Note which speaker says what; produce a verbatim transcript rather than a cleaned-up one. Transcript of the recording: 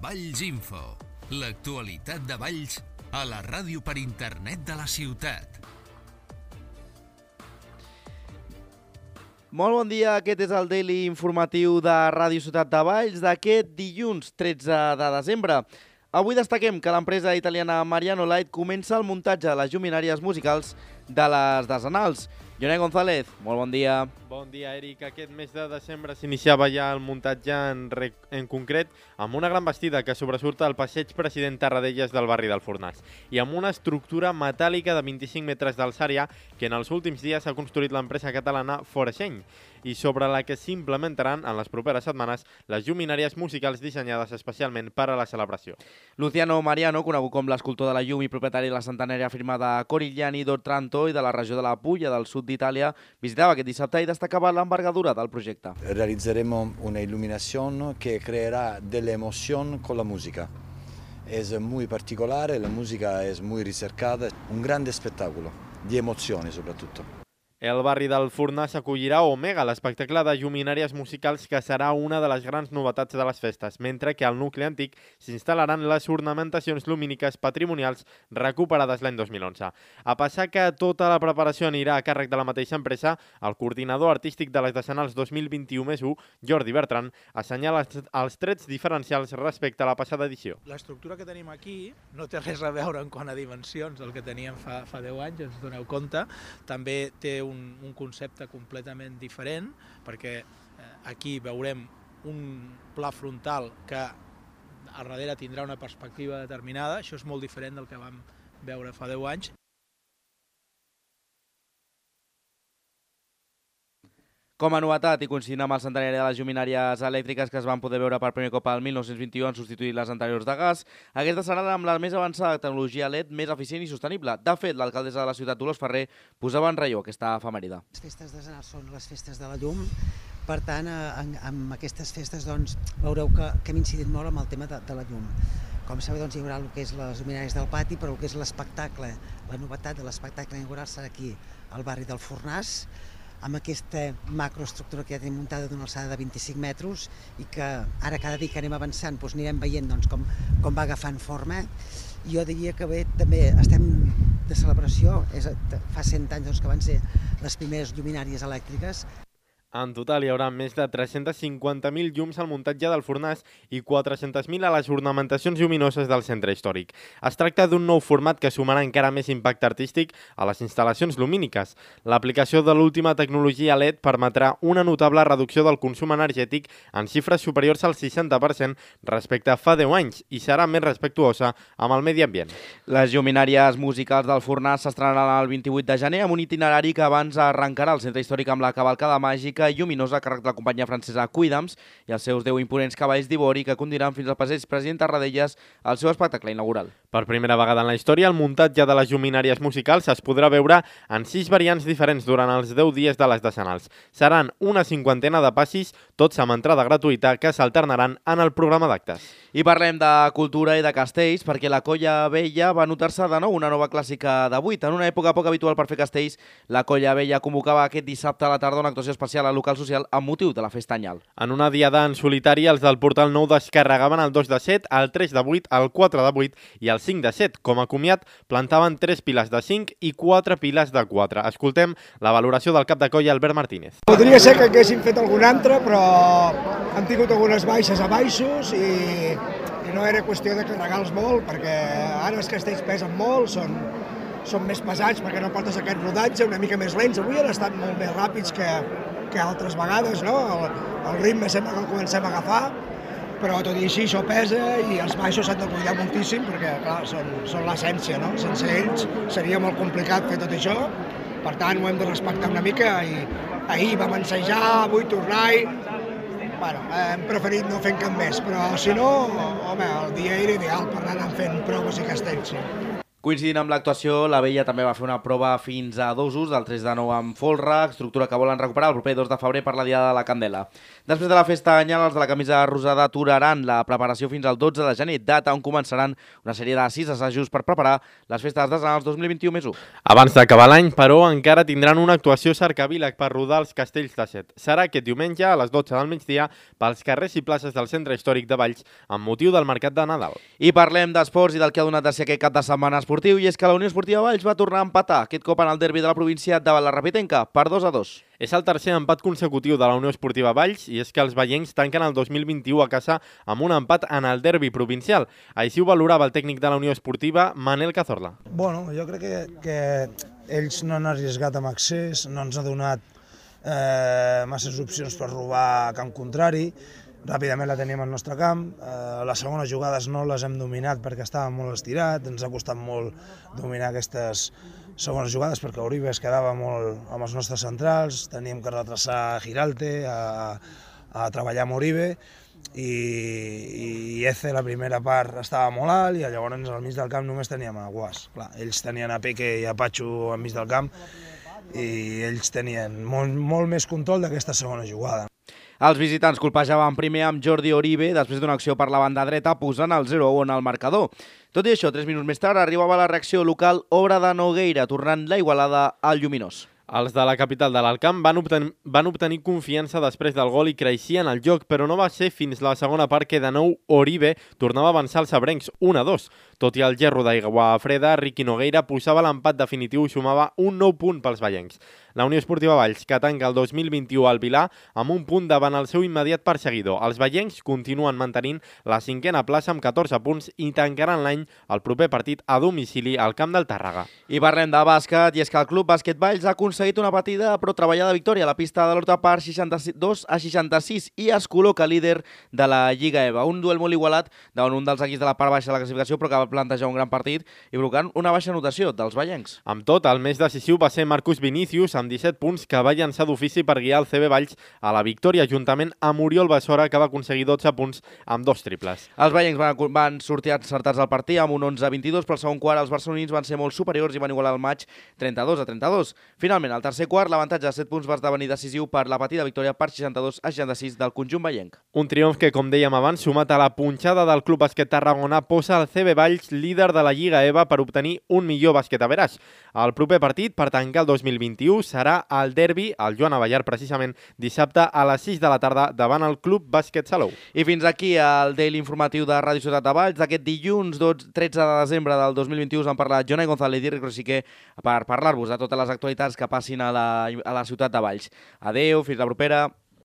Speaker 1: Valls Info, l'actualitat de Valls a la ràdio per internet de la ciutat.
Speaker 2: Molt bon dia, aquest és el Daily informatiu de Ràdio Ciutat de Valls d'aquest dilluns tretze de desembre. Avui destaquem que l'empresa italiana Mariano Light comença el muntatge de les lluminàries musicals de les Desenals. Jonai González, molt bon dia.
Speaker 3: Bon dia, Eric. Aquest mes de desembre s'iniciava ja el muntatge en, en concret amb una gran bastida que sobresurt al passeig President Tarradellas del barri del Fornàs i amb una estructura metàl·lica de vint-i-cinc metres d'alçària que en els últims dies ha construït l'empresa catalana Forexeny i sobre la que s'implementaran en les properes setmanes les lluminàries musicals dissenyades especialment per a la celebració.
Speaker 2: Luciano Mariano, conegut com l'escultor de la llum i propietari de la centenària firma de Corigliani d'Otranto i de la regió de la Puglia del sud d'Itàlia, visitava aquest dissabte i destacava l'envergadura del projecte.
Speaker 4: Realizzeremo una illuminación que creerá delle emoción con la música. Es muy particolare, la música es muy ricercada, un grande spettacolo, di emozioni soprattutto.
Speaker 3: El barri del Fornàs acollirà Omega, l'espectacle de lluminàries musicals que serà una de les grans novetats de les festes, mentre que al nucli antic s'instal·laran les ornamentacions lumíniques patrimonials recuperades l'any dos mil onze. A passar que tota la preparació anirà a càrrec de la mateixa empresa, el coordinador artístic de les Desenals dos mil vint-i-u més u, Jordi Bertran, assenyala els trets diferencials respecte a la passada edició.
Speaker 5: L'estructura que tenim aquí no té res a veure en quant a dimensions del que teníem fa, fa deu anys, ens doneu compte. També té un Un, un concepte completament diferent, perquè eh, aquí veurem un pla frontal que a darrere tindrà una perspectiva determinada. Això és molt diferent del que vam veure fa deu anys.
Speaker 2: Com a novetat, i coincidint amb el centenari de les lluminàries elèctriques que es van poder veure per primer cop al mil nou-cents vint-i-u en substituir les anteriors de gas, aquesta serà amb la més avançada tecnologia L E D més eficient i sostenible. De fet, l'alcaldessa de la ciutat, Dolors Ferrer, posava en relleu aquesta efemèride.
Speaker 6: Les festes de Desenals són les festes de la llum, per tant, en, en aquestes festes doncs, veureu que, que hem incidit molt amb el tema de, de la llum. Com sabeu, doncs, hi haurà el que és les lluminàries del pati, però el que és l'espectacle, la novetat de l'espectacle inaugural serà aquí, al barri del Fornàs, amb aquesta macroestructura que ja tenim muntada d'una alçada de vint-i-cinc metres i que ara cada dia que anem avançant doncs anirem veient doncs, com, com va agafant forma. Jo diria que bé, també estem de celebració, és, fa cent anys doncs, que van ser les primeres lluminàries elèctriques.
Speaker 3: En total hi haurà més de tres-cents cinquanta mil llums al muntatge del Fornàs i quatre-cents mil a les ornamentacions lluminoses del centre històric. Es tracta d'un nou format que sumarà encara més impacte artístic a les instal·lacions lumíniques. L'aplicació de l'última tecnologia L E D permetrà una notable reducció del consum energètic en xifres superiors al seixanta per cent respecte a fa deu anys i serà més respectuosa amb el medi ambient.
Speaker 2: Les lluminàries musicals del Fornàs s'estrenaran el vint-i-vuit de gener amb un itinerari que abans arrencarà al centre històric amb la cavalcada màgica i lluminosa a càrrec de la companyia francesa Cuidams i els seus deu imponents cavalls d'ivori que conduiran fins al passeig President Tarradellas al seu espectacle inaugural.
Speaker 3: Per primera vegada en la història, el muntatge de les lluminàries musicals es podrà veure en sis variants diferents durant els deu dies de les Desenals. Seran una cinquantena de passis, tots amb entrada gratuïta, que s'alternaran en el programa d'actes.
Speaker 2: I parlem de cultura i de castells, perquè la Colla Vella va notar-se de nou una nova clàssica de vuit. En una època poc habitual per fer castells, la Colla Vella convocava aquest dissabte a la tarda una actuació especial al local social amb motiu de la festa anyal.
Speaker 3: En una diada en solitari, els del Portal Nou descarregaven el dos de set, el tres de vuit, el quatre de vuit i el cinc de set. Com a comiat, plantaven tres piles de cinc i quatre piles de quatre. Escoltem la valoració del cap de colla, Albert Martínez.
Speaker 7: Podria ser que haguéssim fet algun altre, però hem tingut algunes baixes a baixos i, i no era qüestió de carregar-los molt, perquè ara els castells pesen molt, són, són més pesats perquè no portes aquest rodatge, una mica més lents. Avui han estat molt més ràpids que, que altres vegades, no? El, el ritme sempre que el comencem a agafar, però tot i així això pesa i els baixos s'han de cuidar moltíssim perquè, clar, són, són l'essència, no? Sense ells seria molt complicat fer tot això, per tant ho hem de respectar una mica i ahir vam ensejar, avui tornar i... Bueno, hem preferit no fer cap més, però si no, home, el dia era ideal per anar fent proves i castells, sí.
Speaker 2: Coincidint amb l'actuació, la Vella també va fer una prova fins a dos ús, del tres de nou amb folre, estructura que volen recuperar el proper dos de febrer per la Diada de la Candela. Després de la festa anyal, els de la camisa rosada aturaran la preparació fins al dotze de gener, data on començaran una sèrie de sis assajos per preparar les festes artesanals dos mil vint-i-u més u.
Speaker 3: Abans d'acabar l'any, però, encara tindran una actuació cercavíleg per rodar els castells de Set. Serà aquest diumenge a les dotze del migdia pels carrers i places del centre històric de Valls amb motiu del mercat de Nadal.
Speaker 2: I parlem d'esports i del que ha donat de ser aquest cap de setmana esportiu, i és que la Unió Esportiva Valls va tornar a empatar, aquest cop en el derbi de la província davant la Rapitenca, per dos a dos.
Speaker 3: És el tercer empat consecutiu de la Unió Esportiva Valls i és que els vallencs tanquen el dos mil vint-i-u a casa amb un empat en el derbi provincial. Així ho valorava el tècnic de la Unió Esportiva, Manel Cazorla.
Speaker 8: Bueno, jo crec que, que ells no han arriesgat amb accés, no ens ha donat eh, masses opcions per robar a camp contrari. Ràpidament la teníem al nostre camp, eh, les segones jugades no les hem dominat perquè estàvem molt estirats, ens ha costat molt dominar aquestes segones jugades perquè Oribe es quedava molt amb els nostres centrals, teníem que retrasar Giralte, a, a treballar amb Oribe, i, i Eze la primera part estava molt alt i llavors al mig del camp només teníem a Guas. Clar, ells tenien a Peque i a Patxo al mig del camp i ells tenien molt, molt més control d'aquesta segona jugada.
Speaker 2: Els visitants colpejaven primer amb Jordi Oribe després d'una acció per la banda dreta posant el zero a u en el marcador. Tot i això, tres minuts més tard arribava la reacció local obra de Nogueira, tornant la igualada al Lluminós.
Speaker 3: Els de la capital de l'Alt Camp van obtenir, van obtenir confiança després del gol i creixien el joc, però no va ser fins la segona part que de nou Oribe tornava a avançar els sabrencs un a dos. Tot i el gerro d'aigua freda, Riqui Nogueira posava l'empat definitiu i sumava un nou punt pels vallencs. La Unió Esportiva Valls, que tanca el dos mil vint-i-u al Vilar, amb un punt davant el seu immediat perseguidor. Els vallencs continuen mantenint la cinquena plaça amb catorze punts i tancaran l'any el proper partit a domicili al camp del Tàrrega.
Speaker 2: I parlem de bàsquet, i és que el Club Bàsquet Valls ha aconseguit una petita però treballada victòria a la pista de l'Horta per seixanta-dos a seixanta-sis i es col·loca líder de la Lliga EVA. Un duel molt igualat davant un dels equips de la part baixa de la classificació, però que va plantejar un gran partit i provocant una baixa notació dels vallencs.
Speaker 3: Amb tot, el més decisiu va ser Marcus Vinícius, amb disset punts, que va llançar d'ofici per guiar el C B Valls a la victòria, juntament amb Oriol Bessora, que va aconseguir dotze punts amb dos triples.
Speaker 2: Els vallencs van, van sortir encertats al partit amb un onze a vint-i-dos, però al segon quart els barcelonins van ser molt superiors i van igualar el maig trenta-dos a trenta-dos. Finalment, al tercer quart, l'avantatge de set punts va esdevenir decisiu per la petita victòria per seixanta-dos a seixanta-sis del conjunt vallenc.
Speaker 3: Un triomf que, com dèiem abans, sumat a la punxada del Club Bàsquet Tarragona, posa el C B Valls líder de la Lliga EVA per obtenir un millor bàsquet a veràs. El proper partit, per tancar el dos mil vint-i-u, serà el derbi, el Joan Avellar, precisament dissabte a les sis de la tarda davant el Club Bàsquet Salou.
Speaker 2: I fins aquí el Daily Informatiu de Ràdio Ciutat de Valls d'aquest dilluns tretze de desembre del dos mil vint-i-u. Us han parlat Jonai González i Ric Rosiquer per parlar-vos de totes les actualitats que passin a la, a la ciutat de Valls. Adeu, fins la propera.